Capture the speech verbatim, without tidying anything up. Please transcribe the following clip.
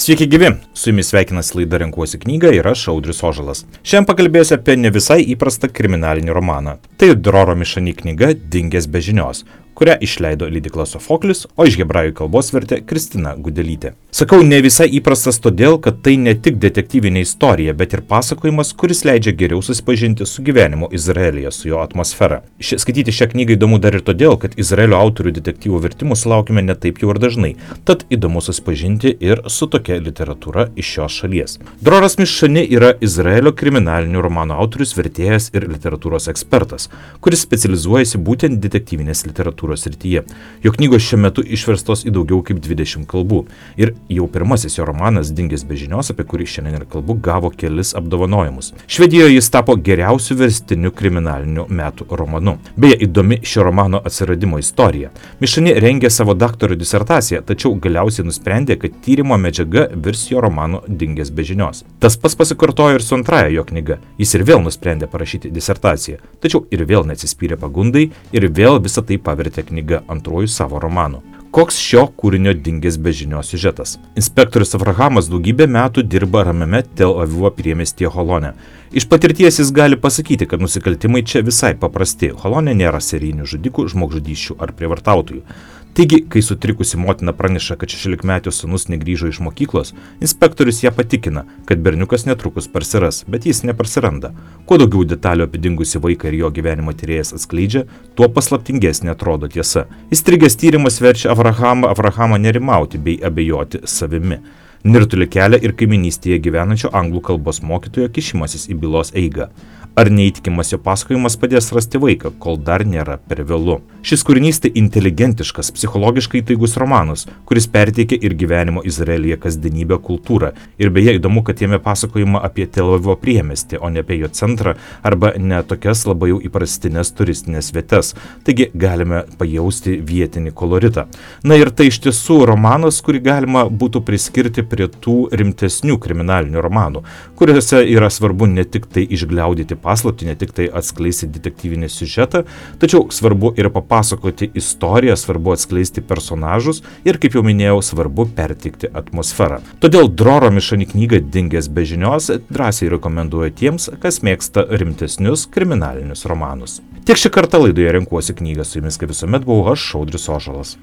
Sveiki gyvi, su jumis sveikinasi laida Renkuosi knygą ir aš Audrius Ožalas. Šiandien pakalbėsiu apie ne visai įprastą kriminalinį romaną. Tai Droro Mišani knyga Dingęs be žinios, kurią išleido leidykla Sofoklis, o iš hebrajų kalbos vertė Kristina Gudelytė. Sakau ne visai įprastas todėl, kad tai ne tik detektyvinė istorija, bet ir pasakojimas, kuris leidžia geriau susipažinti su gyvenimu Izraelyje, su jo atmosfera. Ši, skaityti šią knygą įdomu dar ir todėl, kad Izraelio autorių detektyvų vertimų sulaukime ne taip jau ir dažnai, tad įdomu susipažinti ir su tokia literatūra iš šios šalies. Droras Mišani yra Izraelio kriminalinių romanų autorius, vertėjas ir literatūros ekspertas, kuris specializuojasi būtent detektyvinės literatūros srityje. Jo knygos šiuo metu išverstos į daugiau kaip dvidešimt kalbų. Ir jau pirmasis jo romanas Dingęs be žinios, apie kurį šiandien ir kalbu, gavo kelis apdovanojimus. Švedijoje jis tapo geriausiu verstiniu kriminaliniu metų romanu. Beje, įdomi šio romano atsiradimo istorija. Mišani rengė savo daktaro disertaciją, tačiau galiausiai nusprendė, kad tyrimo medžiaga virs jo romanu Dingęs be žinios. Tas pats pasikartojo ir su antraja jo knyga. Jis ir vėl nusprendė parašyti disertaciją, tačiau ir vėl neatsispyrė pagundai ir vėl visą tai pavertė knyga antruoju savo romanu. Koks šio kūrinio Dingęs be žinios siužetas? Inspektorius Avrahamas daugybę metų dirba ramiame Tel Avivo priemiestyje Holone. Iš patirties jis gali pasakyti, kad nusikaltimai čia visai paprasti. Holone nėra serijinių žudikų, žmogžudysčių ar prievartautojų. Taigi, kai sutrikusi motina praneša, kad šešiolikmetio sūnus negrįžo iš mokyklos, inspektorius ją patikina, kad berniukas netrukus parsiras, bet jis neparsiranda. Kuo daugiau detalių apie dingusį vaiką ir jo gyvenimo tyrėjas atskleidžia, tuo paslaptingesnė atrodo tiesa. Įstrigęs tyrimas verčia Avrahamą, Avrahamą nerimauti bei abejoti savimi. Nirtulį kelia ir kaiminystėje gyvenančio anglų kalbos mokytojo kišimasis į bylos eigą. Ar neįtikimas jo pasakojimas padės rasti vaiką, kol dar nėra per vėlu. Šis kūrinys tai inteligentiškas, psichologiškai taigus romanas, kuris perteikia ir gyvenimo Izraelyje kasdienybę kultūrą. Ir beje įdomu, kad jame pasakojama apie Tel Avivo priemiestį, o ne apie jo centrą arba ne tokias labai jau įprastinės turistinės vietas. Taigi galime pajausti vietinį koloritą. Na ir tai iš tiesų romanas, kurį galima būtų priskirti prie tų rimtesnių kriminalinių romanų, kuriuose yra svarbu ne tik tai išgliaudyti paslaptį, ne tik tai atskleisti detektyvinį siužetą, tačiau svarbu ir papasakoti istoriją, svarbu atskleisti personažus ir, kaip jau minėjau, svarbu perteikti atmosferą. Todėl Droro Mišani knygą Dingęs be žinios drąsiai rekomenduoju tiems, kas mėgsta rimtesnius kriminalinius romanus. Tiek šį kartą laidoje Renkuosi knygą, su jumis kaip visuomet buvau aš, Audrius Ožalas.